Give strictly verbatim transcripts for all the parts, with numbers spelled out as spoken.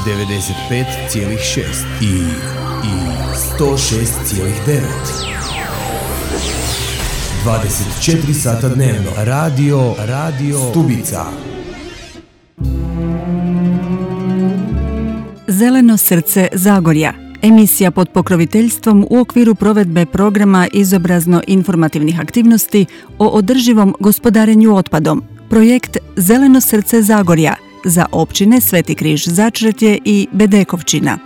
devedeset pet zarez šest i, i sto šest zarez devet. dvadeset četiri sata dnevno. Radio, radio Stubica. Zeleno srce Zagorja. Emisija pod pokroviteljstvom u okviru provedbe programa izobrazno-informativnih aktivnosti o održivom gospodarenju otpadom. Projekt Zeleno srce Zagorja za općine Sveti Križ Začretje i Bedekovčina.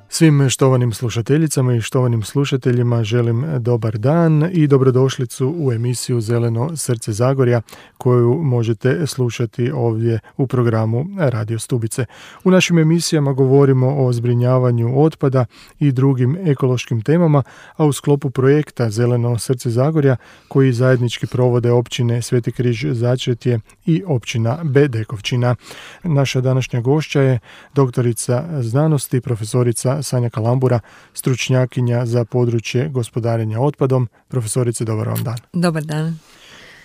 Svim štovanim slušateljicama i štovanim slušateljima želim dobar dan i dobrodošlicu u emisiju Zeleno srce Zagorja koju možete slušati ovdje u programu Radio Stubice. U našim emisijama govorimo o zbrinjavanju otpada i drugim ekološkim temama, a u sklopu projekta Zeleno srce Zagorja koji zajednički provode općine Sveti Križ Začretje i općina Bedekovčina. Naša današnja gošća je doktorica znanosti, profesorica Sanja Kalambura, stručnjakinja za područje gospodarenja otpadom. Profesorice, dobar vam dan. Dobar dan.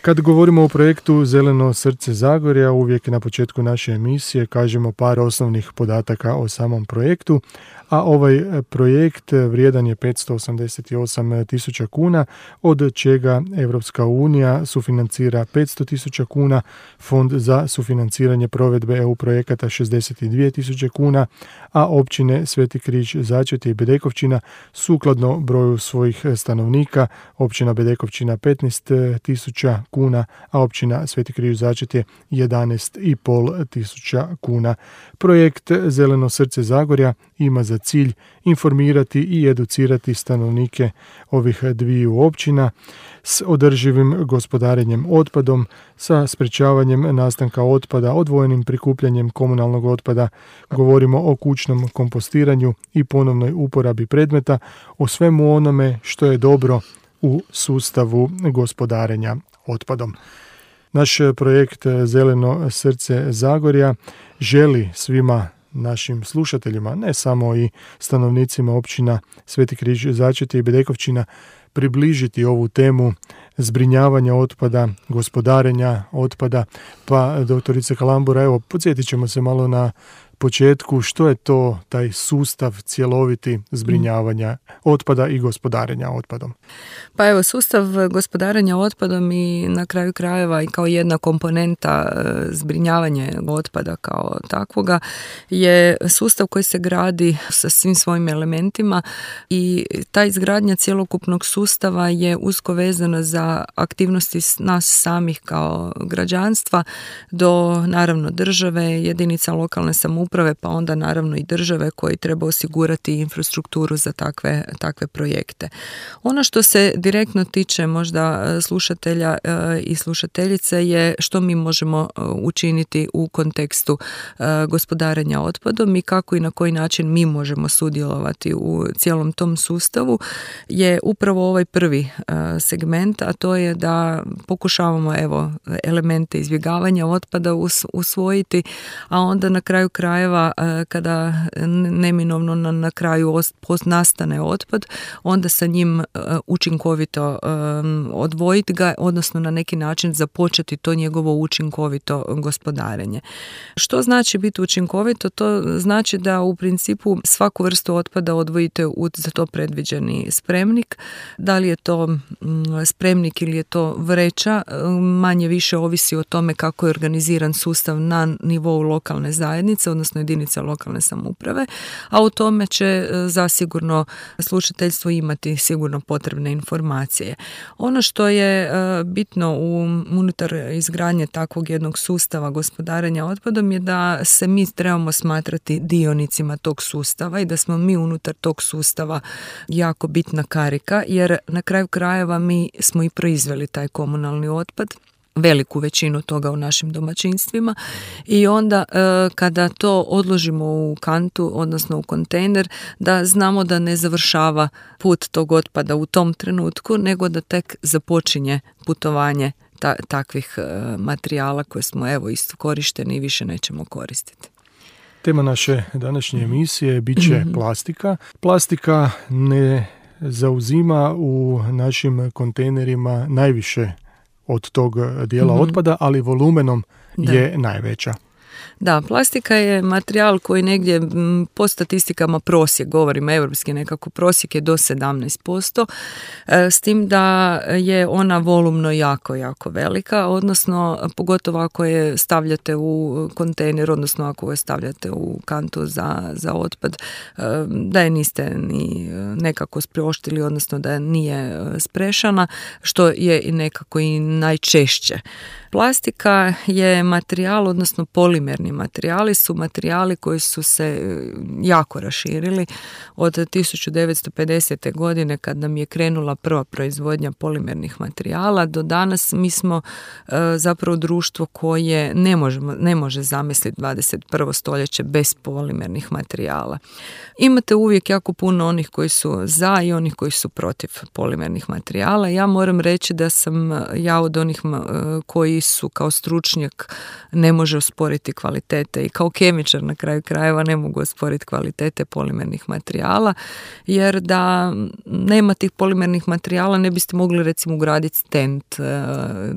Kad govorimo o projektu Zeleno srce Zagorja, uvijek na početku naše emisije kažemo par osnovnih podataka o samom projektu, a ovaj projekt vrijedan je petsto osamdeset osam tisuća kuna, od čega Europska unija sufinancira petsto tisuća kuna, Fond za sufinanciranje provedbe E U projekata šezdeset dvije tisuće kuna, a općine Sveti Križ Začretje i Bedekovčina sukladno broju svojih stanovnika, općina Bedekovčina petnaest tisuća kuna, a općina Sveti Križ Začretje jedanaest i pol tisuća kuna. Projekt Zeleno srce Zagorja ima za cilj informirati i educirati stanovnike ovih dviju općina s održivim gospodarenjem otpadom, sa sprečavanjem nastanka otpada, odvojenim prikupljanjem komunalnog otpada. Govorimo o kućnom kompostiranju i ponovnoj uporabi predmeta, o svemu onome što je dobro u sustavu gospodarenja otpadom. Naš projekt Zeleno srce Zagorja želi svima našim slušateljima, ne samo i stanovnicima općina Sveti Križ Začretje i Bedekovčina, približiti ovu temu zbrinjavanja otpada, gospodarenja otpada. Pa, doktorice Kalambura, evo, podsjetit ćemo se malo na početku što je to taj sustav cjeloviti zbrinjavanja otpada i gospodarenja otpadom. Pa evo, sustav gospodarenja otpadom i na kraju krajeva i kao jedna komponenta zbrinjavanja otpada kao takvoga je sustav koji se gradi sa svim svojim elementima i ta izgradnja cjelokupnog sustava je usko vezana za aktivnosti nas samih kao građanstva do naravno države, jedinica lokalne samouprave, pa onda naravno i države koji treba osigurati infrastrukturu za takve, takve projekte. Ono što se direktno tiče možda slušatelja i slušateljice je što mi možemo učiniti u kontekstu gospodarenja otpadom i kako i na koji način mi možemo sudjelovati u cijelom tom sustavu je upravo ovaj prvi segment, a to je da pokušavamo evo elemente izbjegavanja otpada usvojiti, a onda na kraju krajeva kada neminovno na, na kraju nastane otpad, onda sa njim učinkovito um, odvojiti ga, odnosno na neki način započeti to njegovo učinkovito gospodarenje. Što znači biti učinkovito? To znači da u principu svaku vrstu otpada odvojite u za to predviđeni spremnik. Da li je to um, spremnik ili je to vreća, manje više ovisi o tome kako je organiziran sustav na nivou lokalne zajednice, odnosno jedinice lokalne samouprave, a u tome će zasigurno slušateljstvo imati sigurno potrebne informacije. Ono što je bitno u, unutar izgradnje takvog jednog sustava gospodarenja otpadom je da se mi trebamo smatrati dionicima tog sustava i da smo mi unutar tog sustava jako bitna karika, jer na kraju krajeva mi smo i proizveli taj komunalni otpad, veliku većinu toga u našim domaćinstvima i onda e, kada to odložimo u kantu, odnosno u kontejner, da znamo da ne završava put tog otpada u tom trenutku, nego da tek započinje putovanje ta, takvih e, materijala koje smo evo isto korišteni i više nećemo koristiti. Tema naše današnje emisije bit će plastika. Plastika ne zauzima u našim kontejnerima najviše od tog dijela mm-hmm. otpada, ali volumenom da. je najveća. Da, plastika je materijal koji negdje po statistikama prosjek, govorim europski nekako, prosjek je do sedamnaest posto, s tim da je ona volumno jako, jako velika, odnosno pogotovo ako je stavljate u kontejner, odnosno ako je stavljate u kantu za, za otpad, da je niste ni nekako sprioštili, odnosno da nije sprešana, što je i nekako i najčešće. Plastika je materijal, odnosno polimerni materijali su materijali koji su se jako raširili od tisuću devetsto pedesete. godine kad nam je krenula prva proizvodnja polimernih materijala. Do danas mi smo e, zapravo društvo koje ne, možemo, ne može zamisliti dvadeset prvo stoljeće bez polimernih materijala. Imate uvijek jako puno onih koji su za i onih koji su protiv polimernih materijala. Ja moram reći da sam ja od onih koji su kao stručnjak ne može osporiti kvalitete i kao kemičar na kraju krajeva ne mogu osporiti kvalitete polimernih materijala, jer da nema tih polimernih materijala ne biste mogli recimo ugraditi stent,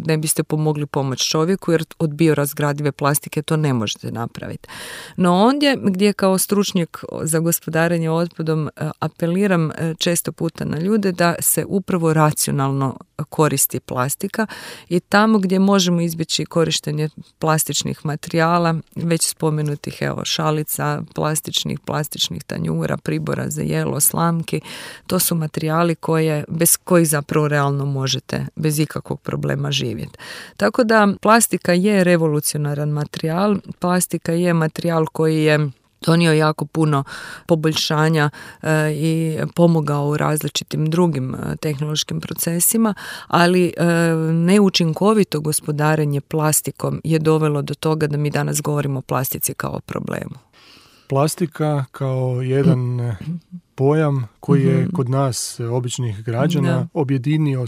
ne biste pomogli pomoć čovjeku jer od biorazgradive plastike to ne možete napraviti. No ondje gdje kao stručnjak za gospodarenje otpadom apeliram često puta na ljude da se upravo racionalno koristi plastika i tamo gdje možemo izbjeći korištenje plastičnih materijala, već spomenutih evo šalica, plastičnih, plastičnih tanjura, pribora za jelo, slamki, to su materijali koje, bez kojih zapravo realno možete bez ikakvog problema živjeti. Tako da plastika je revolucionaran materijal, plastika je materijal koji je donio jako puno poboljšanja e, i pomogao u različitim drugim e, tehnološkim procesima, ali e, neučinkovito gospodarenje plastikom je dovelo do toga da mi danas govorimo o plastici kao o problemu. Plastika kao jedan pojam koji je kod nas, običnih građana, da. objedinio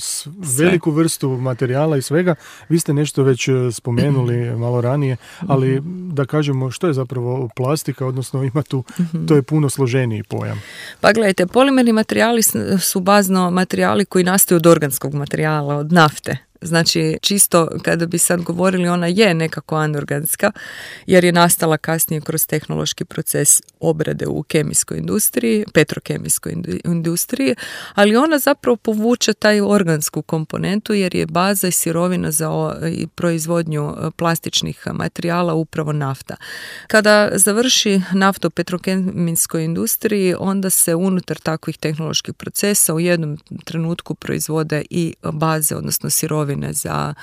veliku vrstu materijala i svega. Vi ste nešto već spomenuli malo ranije, ali da kažemo što je zapravo plastika, odnosno ima tu, to je puno složeniji pojam. Pa gledajte, polimerni materijali su bazno materijali koji nastaju od organskog materijala, od nafte. Znači, čisto kada bi sad govorili, ona je nekako anorganska, jer je nastala kasnije kroz tehnološki proces obrade u kemijskoj industriji, petrokemijskoj industriji, ali ona zapravo povuče taj organsku komponentu, jer je baza i sirovina za proizvodnju plastičnih materijala upravo nafta. Kada završi nafta u petrokemijskoj industriji, onda se unutar takvih tehnoloških procesa u jednom trenutku proizvode i baze, odnosno sirovine za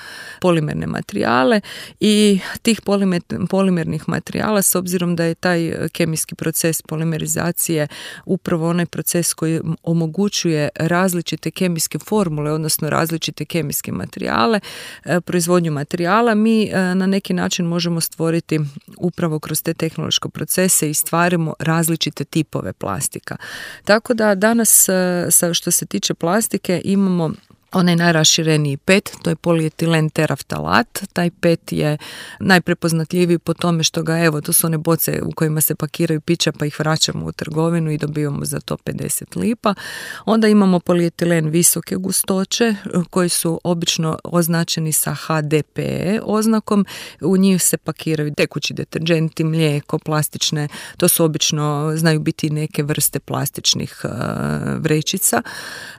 polimerne materijale i tih polimer, polimernih materijala, s obzirom da je taj kemijski proces polimerizacije upravo onaj proces koji omogućuje različite kemijske formule, odnosno različite kemijske materijale, proizvodnju materijala, mi na neki način možemo stvoriti upravo kroz te tehnološke procese i stvarimo različite tipove plastika. Tako da danas, što se tiče plastike, imamo onaj najrašireniji pet, to je polietilen teraftalat. Taj pet je najprepoznatljiviji po tome što ga, evo, to su one boce u kojima se pakiraju pića pa ih vraćamo u trgovinu i dobivamo za to pedeset lipa. Onda imamo polietilen visoke gustoće koji su obično označeni sa H D P E oznakom. U njih se pakiraju tekući deterdženti, mlijeko, plastične, to su obično, znaju biti neke vrste plastičnih uh, vrećica.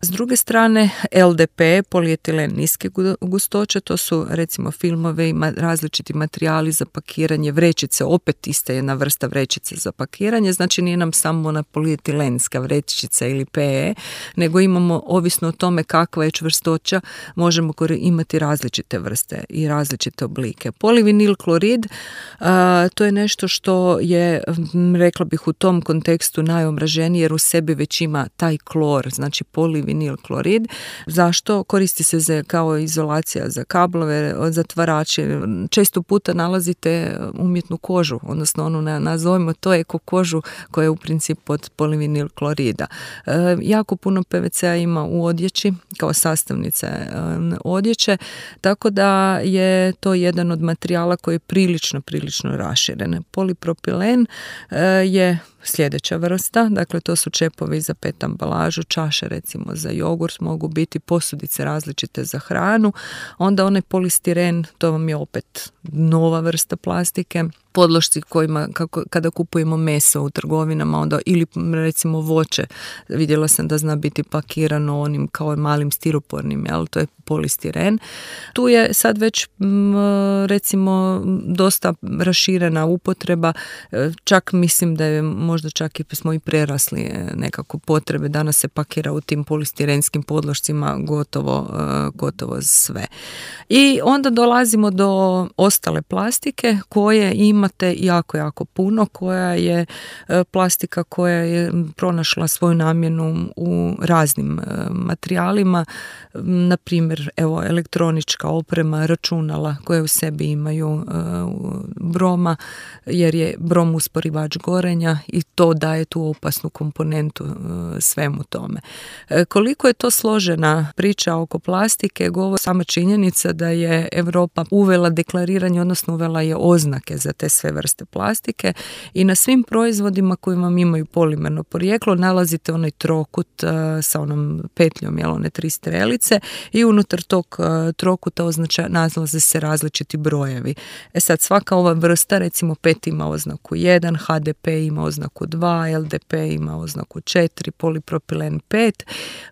S druge strane, L D P, polietilen niske gustoće, to su recimo filmove i različiti materijali za pakiranje, vrećice, opet ista jedna vrsta vrećice za pakiranje, znači nije nam samo ona polietilenska vrećica ili P E, nego imamo, ovisno o tome kakva je čvrstoća, možemo imati različite vrste i različite oblike. Polivinil klorid, a, to je nešto što je, rekla bih, u tom kontekstu najomraženije, jer u sebi već ima taj klor, znači polivinil klorid. Zašto? Koristi se za, kao izolacija za kablove, zatvarače. Često puta nalazite umjetnu kožu, odnosno onu nazovimo to eko kožu koja je u principu od polivinil klorida. E, jako puno P V C-a ima u odjeći kao sastavnice e, odjeće, tako da je to jedan od materijala koji je prilično, prilično raširen. Polipropilen e, je sljedeća vrsta, dakle to su čepovi za pet ambalažu, čaše recimo za jogurt, mogu biti posudice različite za hranu, onda onaj polistiren, to vam je opet nova vrsta plastike. Podlošci kojima, kako, kada kupujemo meso u trgovinama, onda, ili recimo voće, vidjela sam da zna biti pakirano onim kao malim stiropornim, jel, to je polistiren. Tu je sad već m, recimo dosta raširena upotreba, čak mislim da je možda čak i smo i prerasli nekako potrebe, danas se pakira u tim polistirenskim podlošcima gotovo, gotovo sve. I onda dolazimo do ostale plastike koje imate jako, jako puno, koja je plastika koja je pronašla svoju namjenu u raznim materijalima, na primjer evo elektronička oprema, računala koje u sebi imaju broma, jer je brom usporivač gorenja i to daje tu opasnu komponentu svemu tome. Koliko je to složena priča oko plastike, govori sama činjenica da je Europa uvela deklariranje, odnosno uvela je oznake za te sve vrste plastike i na svim proizvodima koji vam imaju polimerno porijeklo nalazite onaj trokut uh, sa onom petljom, jel, one tri strelice i unutar tog uh, trokuta označa, nalaze se različiti brojevi. E sad, svaka ova vrsta, recimo pet ima oznaku jedan, H D P ima oznaku dva, L D P ima oznaku četiri, polipropilen pet,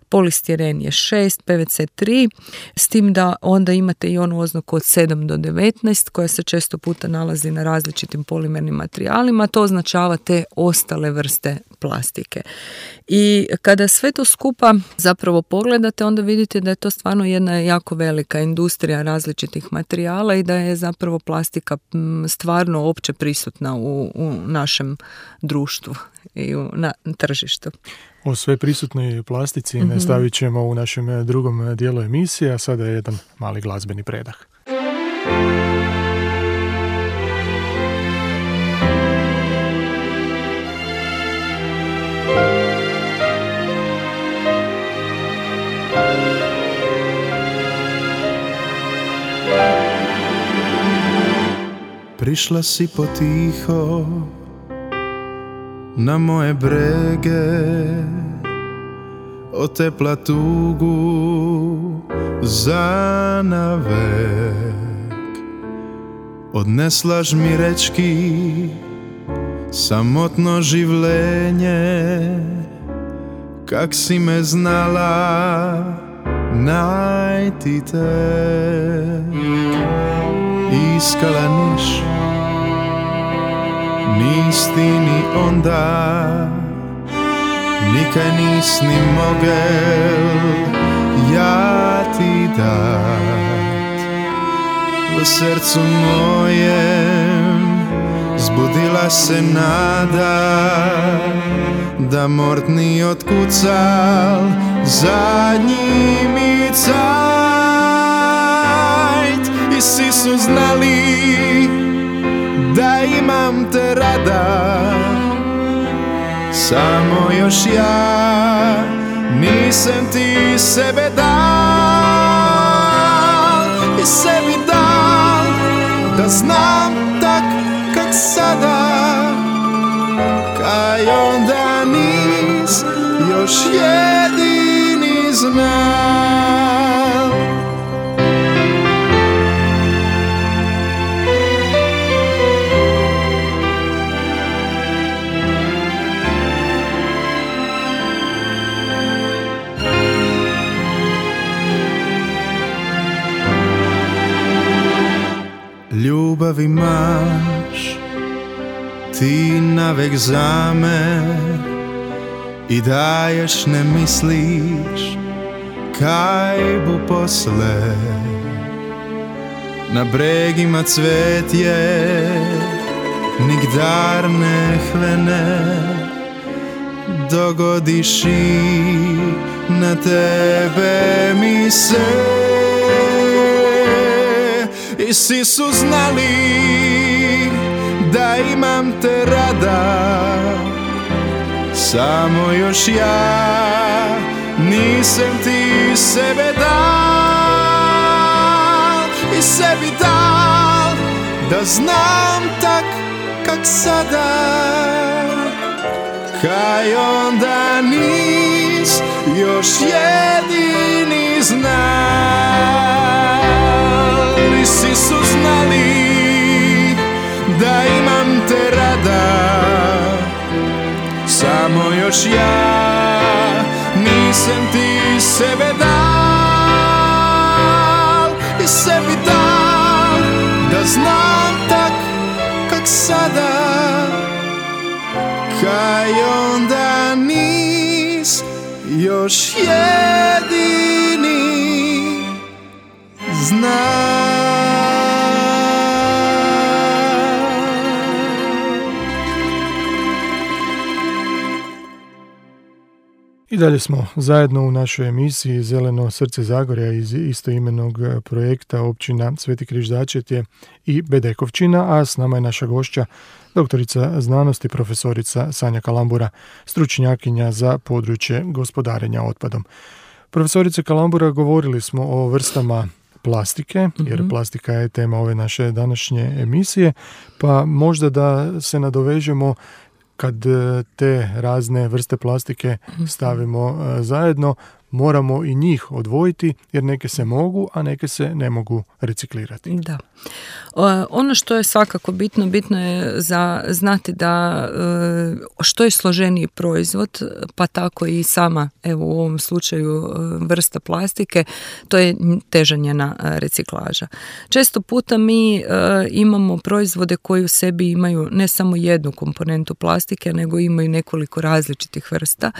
polistiren je šest, P V C tri, s tim da onda imate i onu oznaku od sedam do devetnaest koja se često puta nalazi na različitim polimernim materijalima, to označava te ostale vrste plastike. I kada sve to skupa zapravo pogledate, onda vidite da je to stvarno jedna jako velika industrija različitih materijala i da je zapravo plastika stvarno opće prisutna u, u našem društvu i u, na tržištu. O sve prisutnoj plastici mm-hmm. nastavit ćemo u našem drugom dijelu emisije, a sada je jedan mali glazbeni predah. Prišla si potiho na moje brege, otepla tugu za navek. Odneslaš mi rečki samotno življenje, kak si me znala najti tek. Iskala niš, nis ti ni onda, nikaj nis ni mogel ja ti dat. V srcu mojem zbudila se nada, da mort ni otkucal zadnji mi cajt. I svi su znali da imam te rada, samo još ja nisam ti sebe dal. I sebi dal da znam tak kak sada, kaj onda nis još jedini znam. Ljubav imaš ti navek za me i daješ, ne misliš kaj bu posle. Na bregima cvetje nigdar ne hvene, dogodiš i na tebe mi se. I svi su znali da imam te rada, samo još ja nisam ti sebe dal. I sebi dal da znam tak kak sada, kaj onda nis još jedini znal. I svi su znali da imam te rada. Samo još ja nisam ti sebe dal i sebi dal da znam tak kak sada, kaj onda nis još jedini zna. I dalje smo zajedno u našoj emisiji Zeleno srce Zagorja iz istoimenog projekta općina Sveti Križ Začetje i Bedekovčina, a s nama je naša gošća, doktorica znanosti, profesorica Sanja Kalambura, stručnjakinja za područje gospodarenja otpadom. Profesorice Kalambura, govorili smo o vrstama plastike, jer plastika je tema ove naše današnje emisije, pa možda da se nadovežemo kad te razne vrste plastike stavimo zajedno, moramo i njih odvojiti, jer neke se mogu, a neke se ne mogu reciklirati. Da. Ono što je svakako bitno, bitno je za znati da što je složeniji proizvod, pa tako i sama, evo u ovom slučaju vrsta plastike, to je teža njena reciklaža. Često puta mi imamo proizvode koji u sebi imaju ne samo jednu komponentu plastike, nego imaju nekoliko različitih vrsta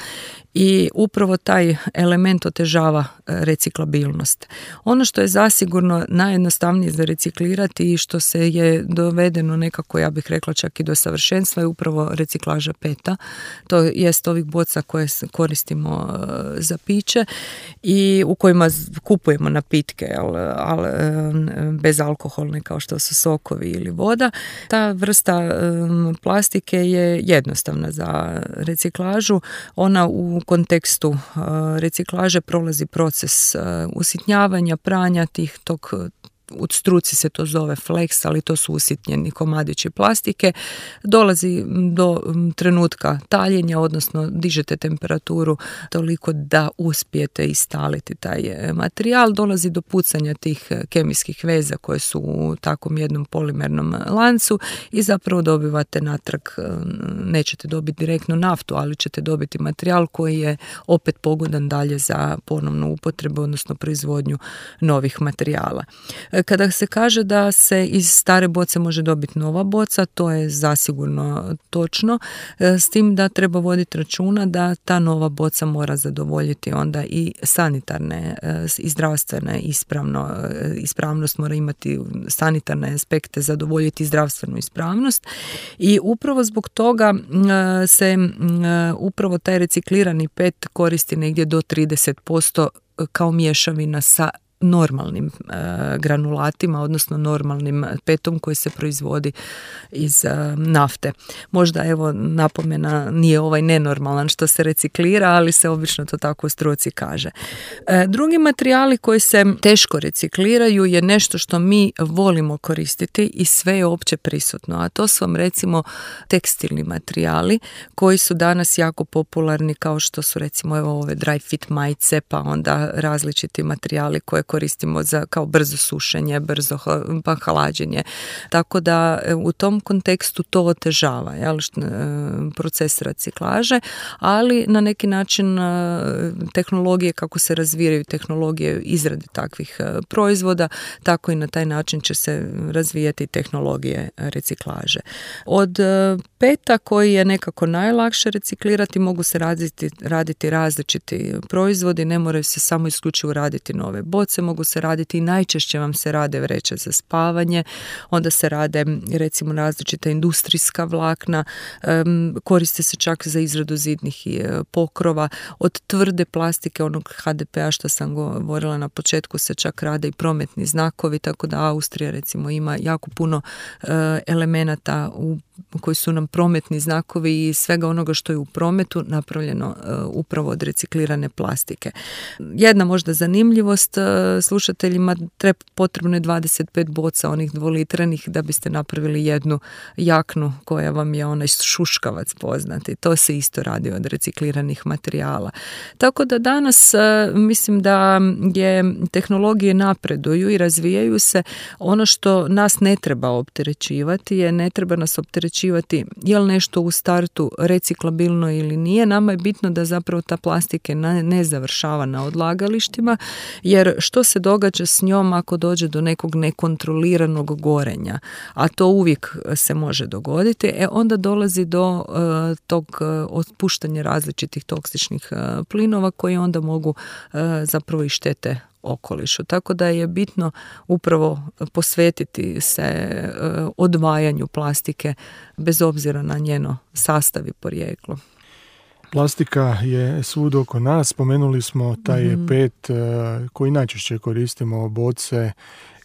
i upravo taj element otežava reciklabilnost. Ono što je zasigurno najjednostavnije za reciklirati i što se je dovedeno nekako, ja bih rekla čak i do savršenstva, je upravo reciklaža peta. To jest ovih boca koje koristimo za piće i u kojima kupujemo napitke, ali, ali bezalkoholne kao što su sokovi ili voda. Ta vrsta um, plastike je jednostavna za reciklažu. Ona u kontekstu uh, reciklaže prolazi proces uh, usitnjavanja, pranja tih tog, u struci se to zove flex, ali to su usitnjeni komadići plastike. Dolazi do trenutka taljenja, odnosno dižete temperaturu toliko da uspijete istaliti taj materijal. Dolazi do pucanja tih kemijskih veza koje su u takvom jednom polimernom lancu i zapravo dobivate natrag, nećete dobiti direktno naftu, ali ćete dobiti materijal koji je opet pogodan dalje za ponovnu upotrebu, odnosno proizvodnju novih materijala. Kada se kaže da se iz stare boce može dobiti nova boca, to je zasigurno točno, s tim da treba voditi računa da ta nova boca mora zadovoljiti onda i sanitarne i zdravstvene ispravno, ispravnost, mora imati sanitarne aspekte, zadovoljiti zdravstvenu ispravnost i upravo zbog toga se upravo taj reciklirani pet koristi negdje do trideset posto kao mješavina sa normalnim e, granulatima, odnosno normalnim petom koji se proizvodi iz e, nafte. Možda evo napomena, nije ovaj nenormalan što se reciklira, ali se obično to tako u struci kaže. E, drugi materijali koji se teško recikliraju je nešto što mi volimo koristiti i sve je opće prisutno, a to su vam recimo tekstilni materijali koji su danas jako popularni, kao što su recimo evo ove dry fit majice, pa onda različiti materijali koje koristimo za kao brzo sušenje, brzo pa hlađenje. Tako da u tom kontekstu to otežava, jel, proces reciklaže, ali na neki način tehnologije, kako se razvijaju tehnologije izrade takvih proizvoda, tako i na taj način će se razvijati tehnologije reciklaže. Od peta koji je nekako najlakše reciklirati, mogu se raditi, raditi različiti proizvodi, ne moraju se samo isključivo raditi nove boce, mogu se raditi i najčešće vam se rade vreće za spavanje, onda se rade recimo različita industrijska vlakna, koriste se čak za izradu zidnih pokrova, od tvrde plastike, onog ha de pe a što sam govorila na početku, se čak rade i prometni znakovi, tako da Austrija recimo ima jako puno elemenata u koji su nam prometni znakovi i svega onoga što je u prometu napravljeno uh, upravo od reciklirane plastike. Jedna možda zanimljivost uh, slušateljima, treba potrebno je dvadeset pet boca onih dvolitranih da biste napravili jednu jaknu koja vam je onaj šuškavac poznati. To se isto radi od recikliranih materijala. Tako da danas uh, mislim da je tehnologije napreduju i razvijaju se. Ono što nas ne treba opterećivati je, ne treba nas opterećivati je li nešto u startu reciklabilno ili nije. Nama je bitno da zapravo ta plastika ne završava na odlagalištima, jer što se događa s njom ako dođe do nekog nekontroliranog gorenja, a to uvijek se može dogoditi, e onda dolazi do uh, tog uh, otpuštanja različitih toksičnih uh, plinova koji onda mogu uh, zapravo i štete okolišu. Tako da je bitno upravo posvetiti se uh, odvajanju plastike bez obzira na njeno sastav i porijeklo. Plastika je svud oko nas. Spomenuli smo taj mm-hmm. pet uh, koji najčešće koristimo, boce,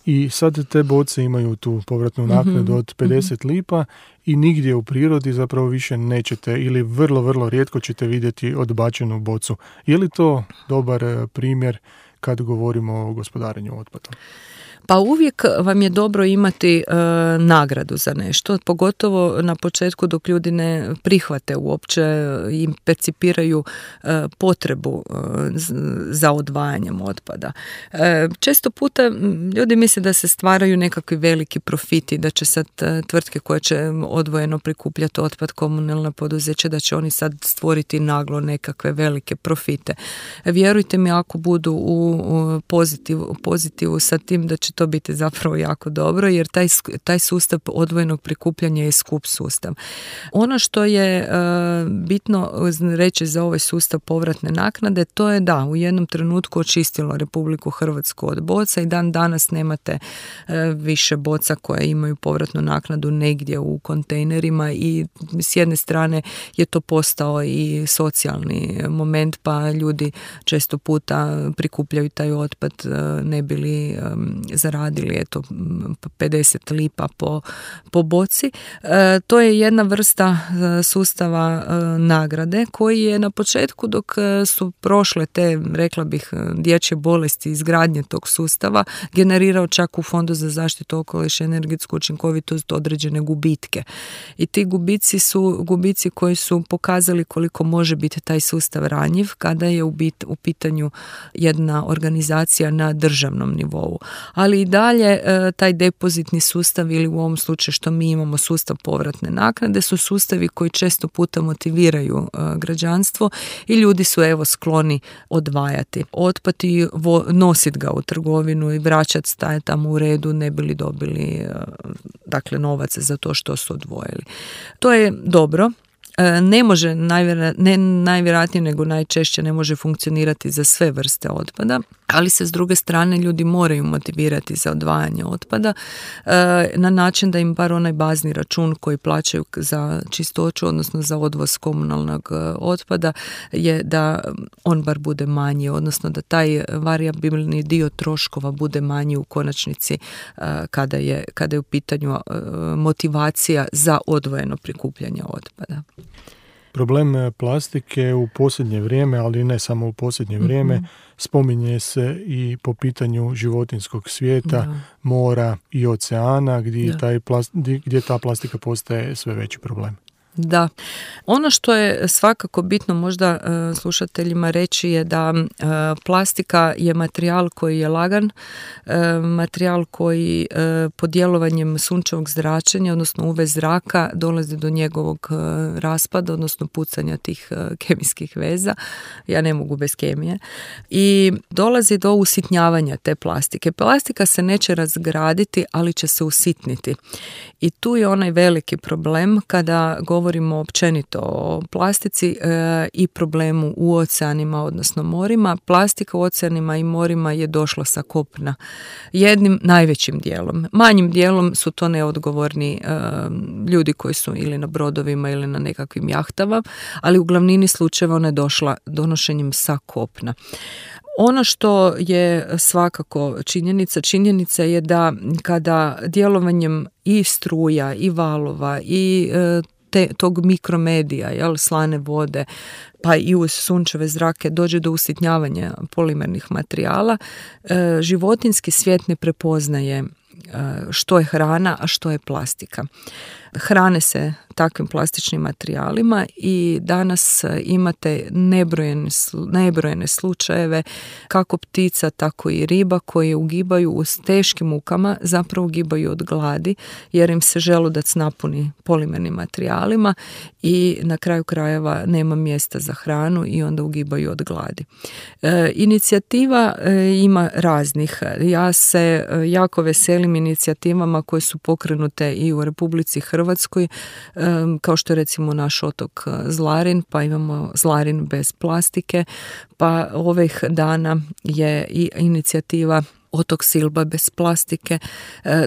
i sad te boce imaju tu povratnu naknadu mm-hmm. od pedeset mm-hmm. lipa i nigdje u prirodi zapravo više nećete ili vrlo, vrlo rijetko ćete vidjeti odbačenu bocu. Je li to dobar primjer kad govorimo o gospodarenju otpadom? Pa uvijek vam je dobro imati e, nagradu za nešto, pogotovo na početku dok ljudi ne prihvate uopće i percipiraju e, potrebu e, za odvajanjem otpada. E, često puta ljudi misle da se stvaraju nekakvi veliki profiti, da će sad e, tvrtke koje će odvojeno prikupljati otpad, komunalna poduzeća, da će oni sad stvoriti naglo nekakve velike profite. E, vjerujte mi, ako budu u, u pozitivu, pozitivu sa tim, da će to biti zapravo jako dobro, jer taj, taj sustav odvojenog prikupljanja je skup sustav. Ono što je e, bitno reći za ovaj sustav povratne naknade, to je da u jednom trenutku očistilo Republiku Hrvatsku od boca i dan danas nemate e, više boca koje imaju povratnu naknadu negdje u kontejnerima i s jedne strane je to postao i socijalni moment, pa ljudi često puta prikupljaju taj otpad ne bi li e, zaradili eto pedeset lipa po, po boci. E, to je jedna vrsta e, sustava e, nagrade koji je na početku, dok su prošle te, rekla bih, dječje bolesti izgradnje tog sustava, generirao čak u Fondu za zaštitu okoliša i energetsku učinkovitost određene gubitke. I ti gubici su gubici koji su pokazali koliko može biti taj sustav ranjiv kada je u, bit, u pitanju jedna organizacija na državnom nivou. Ali i dalje taj depozitni sustav ili u ovom slučaju što mi imamo sustav povratne naknade su sustavi koji često puta motiviraju građanstvo i ljudi su evo skloni odvajati otpad i nositi ga u trgovinu i vraćati, staje tamo u redu ne bi li dobili dakle novac za to što su odvojili. To je dobro. Ne može, najvjera, ne najvjerojatnije nego najčešće ne može funkcionirati za sve vrste otpada, ali se s druge strane ljudi moraju motivirati za odvajanje otpada na način da im bar onaj bazni račun koji plaćaju za čistoću, odnosno za odvoz komunalnog otpada, je da on bar bude manji, odnosno da taj varijabilni dio troškova bude manji u konačnici kada je, kada je u pitanju motivacija za odvojeno prikupljanje otpada. Problem plastike u posljednje vrijeme, ali ne samo u posljednje vrijeme, mm-hmm. spominje se i po pitanju životinjskog svijeta, da. mora i oceana, gdje, taj plast, gdje ta plastika postaje sve veći problem. Da. Ono što je svakako bitno možda uh, slušateljima reći je da uh, plastika je materijal koji je lagan, uh, materijal koji uh, pod djelovanjem sunčevog zračenja, odnosno U V zraka, dolazi do njegovog uh, raspada, odnosno pucanja tih uh, kemijskih veza. Ja ne mogu bez kemije. I dolazi do usitnjavanja te plastike. Plastika se neće razgraditi, ali će se usitniti. I tu je onaj veliki problem kada govorimo govorimo općenito o plastici e, i problemu u oceanima, odnosno morima, plastika u oceanima i morima je došla sa kopna. Jednim najvećim dijelom. Manjim dijelom su to neodgovorni e, ljudi koji su ili na brodovima ili na nekakvim jahtama, ali u glavnini slučajeva ona je došla donošenjem sa kopna. Ono što je svakako činjenica, činjenica je da kada djelovanjem i struja i valova i te, tog mikromedija, jel, slane vode, pa i uz sunčeve zrake dođe do usitnjavanja polimernih materijala, životinjski svijet ne prepoznaje što je hrana, a što je plastika. Hrane se takvim plastičnim materijalima i danas imate nebrojene, nebrojene slučajeve kako ptica, tako i riba koje ugibaju u teškim mukama, zapravo ugibaju od gladi jer im se želudac napuni polimernim materijalima i na kraju krajeva nema mjesta za hranu i onda ugibaju od gladi. E, inicijativa e, ima raznih. Ja se e, jako veselim inicijativama koje su pokrenute i u Republici Hrvatskoj, kao što je recimo naš otok Zlarin, pa imamo Zlarin bez plastike, pa ovih dana je i inicijativa Otok Silba bez plastike,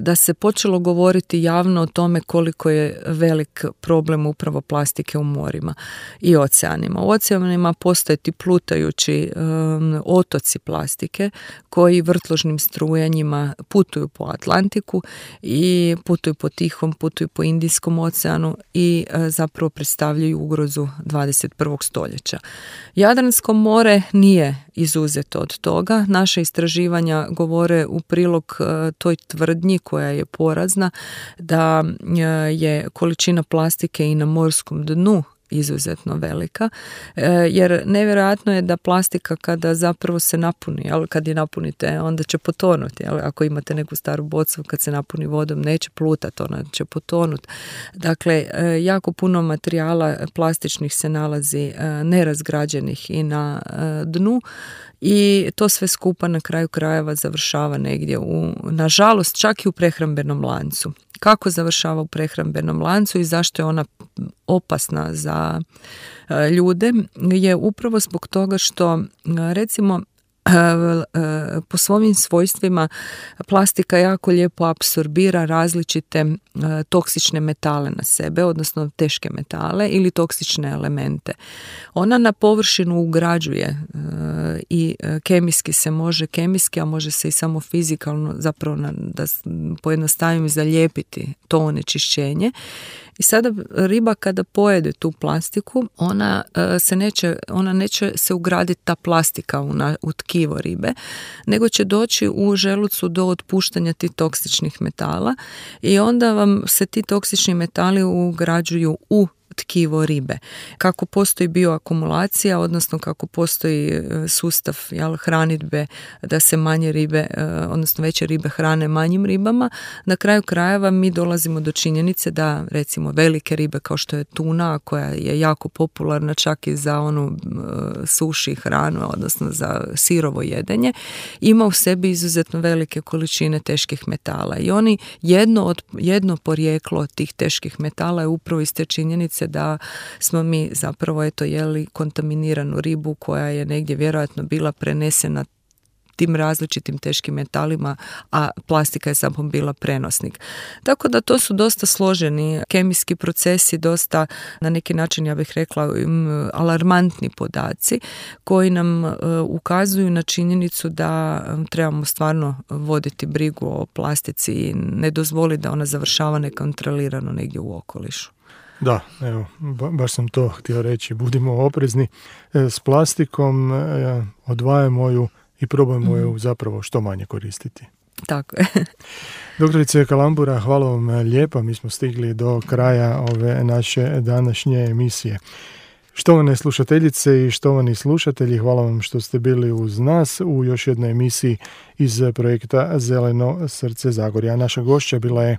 da se počelo govoriti javno o tome koliko je velik problem upravo plastike u morima i oceanima. U oceanima postoje ti plutajući um, otoci plastike koji vrtložnim strujanjima putuju po Atlantiku i putuju po Tihom, putuju po Indijskom oceanu i uh, zapravo predstavljaju ugrozu dvadeset prvog stoljeća. Jadransko more nije izuzeto od toga. Naše istraživanja govore u prilog toj tvrdnji koja je porazna da je količina plastike i na morskom dnu izuzetno velika, jer nevjerojatno je da plastika kada zapravo se napuni, ali kad je napunite onda će potonuti, ali ako imate neku staru bocu kad se napuni vodom neće plutati, ona će potonuti. Dakle, jako puno materijala plastičnih se nalazi nerazgrađenih i na dnu i to sve skupa na kraju krajeva završava negdje u, nažalost, čak i u prehrambenom lancu. Kako završava u prehrambenom lancu i zašto je ona opasna za ljude je upravo zbog toga što, recimo, po svojim svojstvima plastika jako lijepo apsorbira različite toksične metale na sebe, odnosno teške metale ili toksične elemente. Ona na površinu ugrađuje i kemijski se može, kemijski, a može se i samo fizikalno, zapravo da pojednostavim, zalijepiti to onečišćenje. I sada riba kada pojede tu plastiku, ona se neće, ona neće se ugraditi ta plastika u, na, u tkivo ribe, nego će doći u želucu do otpuštanja tih toksičnih metala i onda vam se ti toksični metali ugrađuju u tkivo ribe. Kako postoji bioakumulacija, odnosno kako postoji sustav, jel, hranidbe da se manje ribe, odnosno veće ribe hrane manjim ribama, na kraju krajeva mi dolazimo do činjenice da recimo velike ribe kao što je tuna, koja je jako popularna čak i za onu suši hranu, odnosno za sirovo jedenje, ima u sebi izuzetno velike količine teških metala i oni jedno, od, jedno porijeklo tih teških metala je upravo iz te činjenice da smo mi zapravo eto jeli kontaminiranu ribu koja je negdje vjerojatno bila prenesena tim različitim teškim metalima, a plastika je samo bila prenosnik. Tako da to su dosta složeni kemijski procesi, dosta na neki način, ja bih rekla, alarmantni podaci koji nam uh, ukazuju na činjenicu da trebamo stvarno voditi brigu o plastici i ne dozvoliti da ona završava nekontrolirano negdje u okolišu. Da, evo, baš sam to htio reći. Budimo oprezni s plastikom, odvajamo ju i probajmo ju zapravo što manje koristiti. Tako je. Doktorice Kalambura, hvala vam lijepa. Mi smo stigli do kraja ove naše današnje emisije. Štovane slušateljice i štovani slušatelji, hvala vam što ste bili uz nas u još jednoj emisiji iz projekta Zeleno srce Zagorja. Naša gošća bila je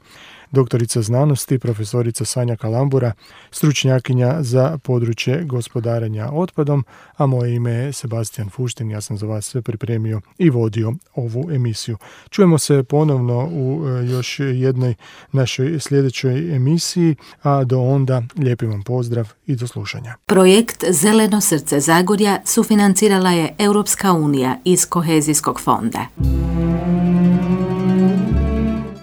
doktorica znanosti, profesorica Sanja Kalambura, stručnjakinja za područje gospodarenja otpadom, a moje ime je Sebastian Fuštin, ja sam za vas sve pripremio i vodio ovu emisiju. Čujemo se ponovno u još jednoj našoj sljedećoj emisiji, a do onda lijepi vam pozdrav i do slušanja. Projekt Zeleno srce Zagorja sufinancirala je Europska unija iz Kohezijskog fonda.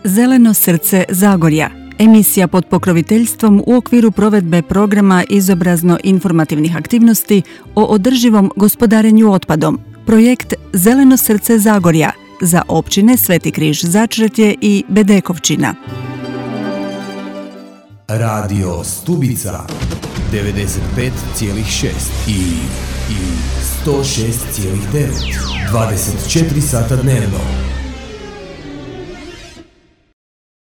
Zeleno srce Zagorja, emisija pod pokroviteljstvom u okviru provedbe programa izobrazno-informativnih aktivnosti o održivom gospodarenju otpadom. Projekt Zeleno srce Zagorja za općine Sveti Križ Začretje i Bedekovčina. Radio Stubica devedeset pet zarez šest i, i sto šest zarez devet. dvadeset četiri sata dnevno.